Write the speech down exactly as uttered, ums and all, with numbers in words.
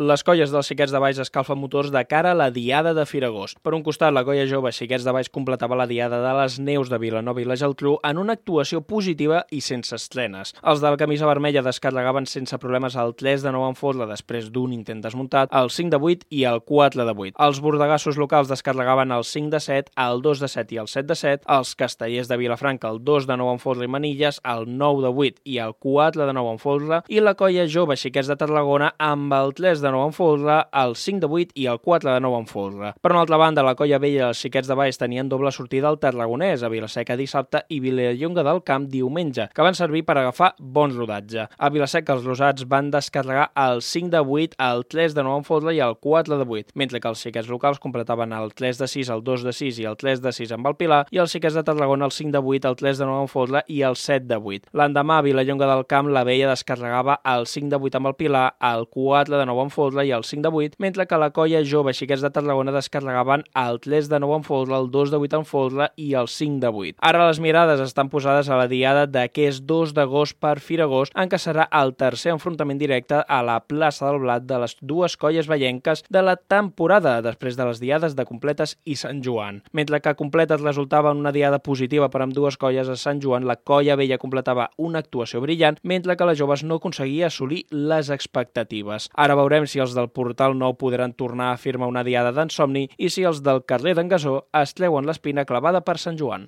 Les colles dels Xiquets de Valls escalfen motors de cara a la Diada de Firagost. Per un costat, la colla jove Xiquets de Valls completava la Diada de les Neus de Vilanova i la Geltrú en una actuació positiva i sense estrenes. Els de la camisa vermella descarregaven sense problemes el tres de nou en Fosla després d'un intent desmuntat, el cinc de vuit i el quatre de vuit. Els bordegassos locals descarregaven el cinc de set, el dos de set i el set de set, els castellers de Vilafranca el dos de nou en Fosla i Manilles, el nou de vuit i el quatre de nou en Fosla, i la colla jove Xiquets de Tarragona amb el tres de nou en Fosla, el cinc de vuit i el quatre de nou en Fosla. Per una altra banda, la colla vella dels Xiquets de Valls tenien doble sortida al Tarragonès, a Vilaseca dissabte i Vilallonga del Camp diumenge, que van servir per agafar bon rodatge. A Vilaseca els rosats van descarregar el cinc de vuit, el tres de nou en Fosla i el quatre de vuit, mentre que els xiquets locals completaven el tres de sis, el dos de sis i el tres de sis amb el Pilar, i els xiquets de Tarragona el cinc de vuit, el tres de nou en Fosla i el set de vuit. L'endemà, a Vilallonga del Camp, la vella descarregava el cinc de vuit amb el Pilar, el quatre de nou en Fosla i el cinc de vuit, mentre que la colla jove Xiquets de Tarragona descarregaven el tres de nou en Fosla, el dos de vuit en Fosla i el cinc de vuit. Ara les mirades estan posades a la diada d'aquest dos d'agost per Firagost, en què serà el tercer enfrontament directe a la plaça del Blat de les dues colles vallenques de la temporada, després de les diades de Completes i Sant Joan. Mentre que Completes resultava en una diada positiva per amb dues colles, a Sant Joan la colla vella completava una actuació brillant, mentre que les joves no aconseguia assolir les expectatives. Ara veurem si els del Portal Nou podran tornar a firmar una diada d'ensomni i si els del carrer d'en Gasó es treuen l'espina clavada per Sant Joan.